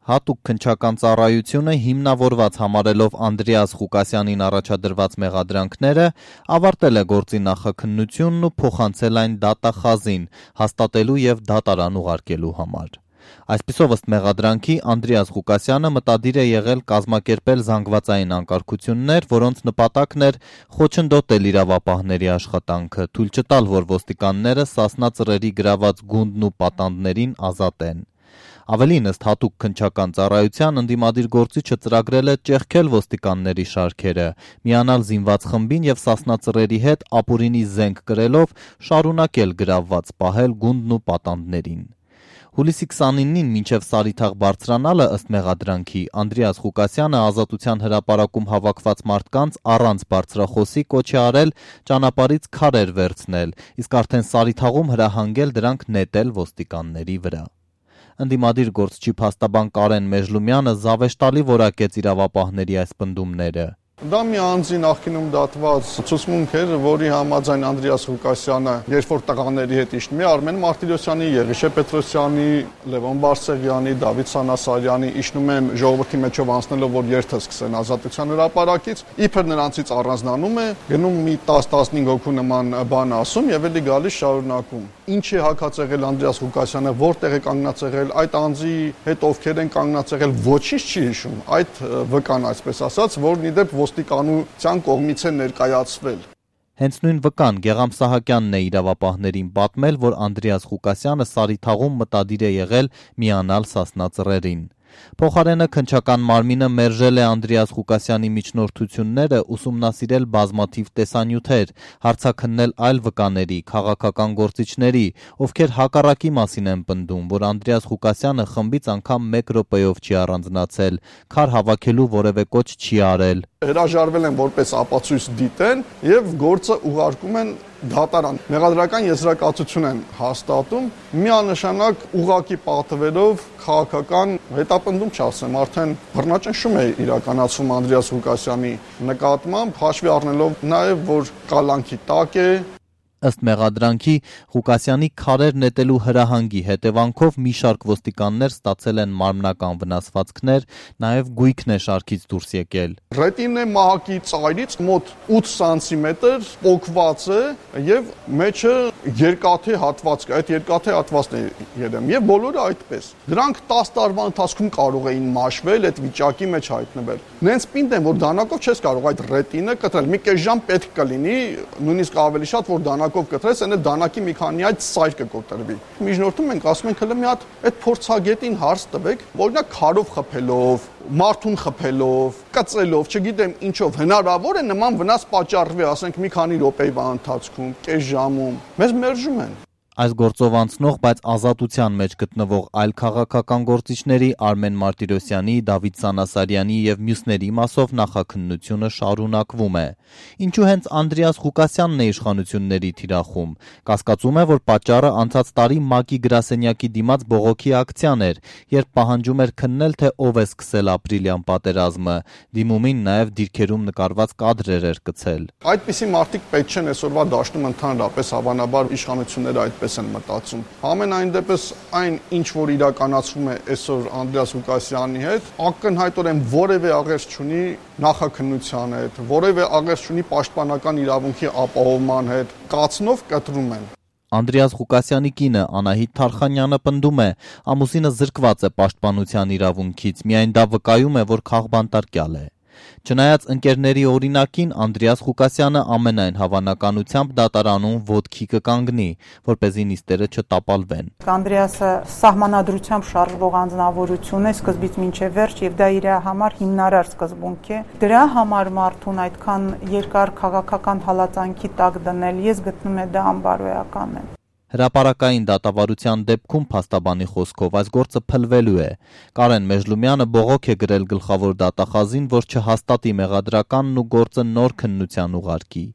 Հատուկ քննչական ծառայությունը հիմնավորված համարելով Անդրեաս Ղուկասյանին առաջադրված մեղադրանքները, ավարտել է գործի նախաքննությունն ու փոխանցել այն դատախազին, հաստատելու եւ դատարան ուղարկելու համար։ Այսպիսով ըստ մեղադրանքի Անդրեաս Ղուկասյանը մտադիր է եղել կազմակերպել զանգվածային անկարգություններ, որոնց նպատակն էր խոչընդոտել իրավապահների աշխատանքը, թույլ չտալ, որ ոստիկանները Սասնա Ծռերի գրաված գունդն ու պատանդներին ազատեն։ Ավելին ըստ հատուկ քննչական ծառայության ընդդիմադիր գործիչը ծրագրել է ճեղքել ոստիկանների շարքերը, միանալ զինված խմբին եւ Սասնա Ծռերի հետ ապուրինի զենք կրելով շարունակել գրավված պահել գունդն ու պատանդներին։ Հուլիսի 29-ին մինչև Սարիթաղ բարձրանալը ըստ մեղադրանքի Անդրեաս Ղուկասյանը Ազատության հրապարակում հավաքված մարդկանց առանց բարձրախոսի կոչ է արել ճանապարհից քարեր վերցնել, իսկ արդեն Սարիթաղում հրահանգել դրանք նետել ոստիկանների վրա։ Ընդդիմադիր գործչի փաստաբան Կարեն Մեժլումյանը զավեշտալի որակեց իրավապահների այս պնդումները։ Դա մի անձի նախկինում դատված ցուցմունք էր, որի համաձայն Անդրեաս Ղուկասյանը, երբ որ տղաների հետ իջնում է, Արմեն Մարտիրոսյանի, Եղիշե Պետրոսյանի, Լևոն Բարսեղյանի, Դավիթ Սանասարյանի իջնում են ժողովրդի մեջով անցնելով, որ երթը սկսեն Ազատության հրապարակից, իբր նրանցից առանձնանում է, գնում մի 10-15 հոգու նման բան ասում եւ էլի գալիս շարունակում։ Ինչ է հակացեղել Անդրեաս Ղուկասյանը, որտեղ է կանգնած եղել, այդ անձի հետ ովքեր են կանգնած եղել, ոչինչ չի հիշում։ Այդ վկան, այսպես ասած, որն իդեպ ոստիկանության կողմից է ներկայացվել։ Հենց նույն վկան Գեղամ Սահակյանն է իրավապահներին պատմել, որ Անդրեաս Ղուկասյանը Սարիթաղում մտադիր է եղել միանալ Սասնա Ծռերին։ Փոխարենը քննչական մարմինը մերժել է Անդրեաս Ղուկասյանի միջնորդությունները, ուսումնասիրել բազմաթիվ տեսանյութեր, հարցաքննել այլ վկաների, քաղաքական գործիչների, ովքեր հակառակի մասին են պնդում, որ Անդրեաս Ղուկասյանը խմբից անգամ 1 րոպեով չի առանձնացել, քար հավաքելու որևէ կոչ չի արել։ Հրաժարվել են որպես ապացույց դիտեն եւ գործը ուղարկում են դատարան։ Մեղադրական եզրակացություն են հաստատում, միանշանակ ուղղակի պատվերով քաղաքական հետապնդում չասեմ, արդեն բռնաճնշում է իրականացվում Անդրեաս Ղուկասյանի նկատմամբ, հաշվի առնելով նաեւ, որ կալանքի տակ է։ Ըստ մեղադրանքի Ղուկասյանի քարեր նետելու հրահանգի հետևանքով մի շարք ոստիկաններ ստացել են մարմնական վնասվածքներ, նաև գույքն է շարքից դուրս եկել։ Ռետինե մահակի ծայրից մոտ 8 սանտիմետր պոկված է եւ մեջը երկաթե հատված կա, այդ երկաթե հատվածն է երեմ եւ բոլորը այդպես։ Դրանք 10 տարվա ընթացքում կարող էին մաշվել, այդ վիճակի մեջ հայտնվել։ Նենց պինդ են, որ դանակով չես կարող այդ ռետինը կտրել։ Մի կես ժամ պետք կլինի, նույնիսկ ավելի շատ, որ դանակով կտրես, այնը դանակի մի քանի այդ սայր կկոտրվի։ Միջնորդում ենք, ասում ենք հələ մի հատ այդ փորձագետին հարց տվեք, օրինակ քարով խփելով, մարդուն խփելով, կծելով, չգիտեմ ինչով հնարավոր է նման վնաս պատճառվի, ասենք մի քանի րոպեվա ընթացքում, կես ժամում։ Մեզ մերժում են։ Այս գործով անցնող, բայց Ազատության մեջ գտնվող այլ քաղաքական գործիչների Արմեն Մարտիրոսյանի, Դավիթ Սանասարյանի եւ մյուսների մասով նախաքննությունը շարունակվում է։ Ինչու հենց Անդրեաս Ղուկասյանն է իշխանությունների թիրախում։ Կասկածում է, որ պատճառը անցած տարի ՄԱԿ-ի գրասենյակի դիմաց բողոքի ակցիան էր, երբ պահանջում էր քննել, թե ով է սկսել ապրիլյան պատերազմը։ Դիմումին նաեւ դիրքերում նկարված կադրեր էր գցել։ Այդպիսի մարդիկ պետք չեն այսօրվա դաշտում ընդհանրապես հավանաբար իշխանությունները այդպես են մտածում։ Ամենայն դեպս այն ինչ որ իրականացվում է այսօր Անդրեաս Ղուկասյանի հետ, ակնհայտորեն որևէ աղերս չունի նախաքննության հետ, որևէ աղերս չունի պաշտպանական իրավունքի ապահովման հետ, կացնով կտրում են։ Անդրեաս Ղուկասյանի կինը Անահիտ Թարխանյանը պնդում է, ամուսինը զրկված է պաշտպանության իրավունքից, միայն դա վկայում է, որ քաղբանտարկյալ է։ Չնայած ընկերների օրինակին Անդրեաս Ղուկասյանը ամենայն հավանականությամբ դատարանում ոտքի կկանգնի, որպեսզի նիստերը չտապալվեն։ Անդրեասը սահմանադրությամբ շարժվող անձնավորություն է սկզբից մինչև վերջ եւ դա իր համար հիմնարար սկզբունք է։ Դրա համար մարդուն այդքան երկար քաղաքական հալածանքի տակ դնել, ես գտնում եմ դա անբարոյական է։ Հրապարակային դատավարության դեպքում փաստաբանի խոսքով այս գործը փլվելու է։ Կարեն Մեժլումյանը բողոք է գրել գլխավոր դատախազին, որ չհաստատի մեղադրականն ու գործը նոր քննության ուղարկի։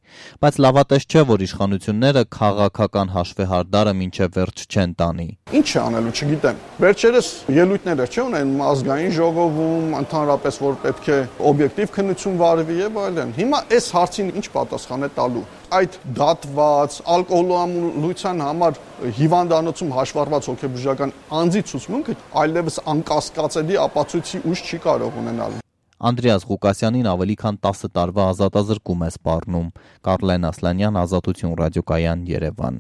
Բայց լավատես չէ, որ իշխանությունները քաղաքական հաշվեհարդարը մինչև վերջ չեն տանի։ Ինչ է անելու, չգիտեմ։ Վերջերս ելույթներ չէ ունեն ազգային ժողովում, ընդհանրապես որ պետք է օբյեկտիվ քննություն վարվի եւ այլն։ Հիմա այս հարցին ինչ պատասխան է տալու։ այդ դատված ալկոհոլամոլության համար հիվանդանոցում հաշվառված հոգեբուժական անձի ցուցմունքը այլևս անկասկածելի ապացույցի ուժ չի կարող ունենալ։ Անդրեաս Ղուկասյանին ավելի քան 10 տարվա ազատազրկում է սպառնում։ Կարլեն Ասլանյան, Ազատություն ռադիոկայան, Երևան։